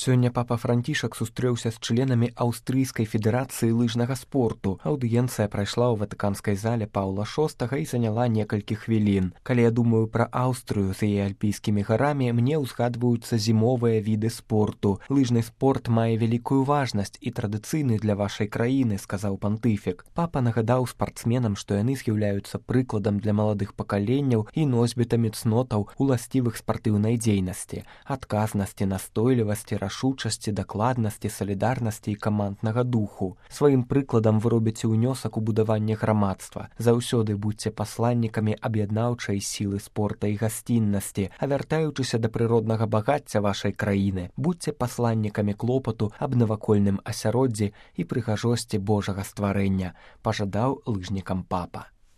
Сёння папа Францішак сустрэўся з членамі Аўстрыйскай федэрацыі лыжнага спорту. Аўдыенцыя прайшла ў ватыканскай зале Паўла VI і заняла некалькі хвілін. Калі я думаю пра Аўстрыю з яе альпійскімі гарамі, мне ўзгадваюцца зімовыя віды спорту. Лыжны спорт мае вялікую важнасць і традыцыйны для вашай краіны, сказаў пантыфік. Папа нагадаў спартсменам, што яны з'яўляюцца прыкладам для маладых пакаленняў і носьбітамі цнотаў уласцівых спартыўнай дзейнасці, адказнасці, настойлівасці, рашучасці, дакладнасці, салідарнасці і каманднага духу. Сваім прыкладам вы робіце ўнёсак у будаванне грамадства. Заўсёды будзьце пасланнікамі аб'яднаўчай сілы спорта і гасціннасці, а вяртаючыся да прыроднага багацця вашай краіны, будзьце пасланнікамі клопату аб навакольным асяроддзі і прыгажосці Божага стварэння, пажадаў лыжнікам папа.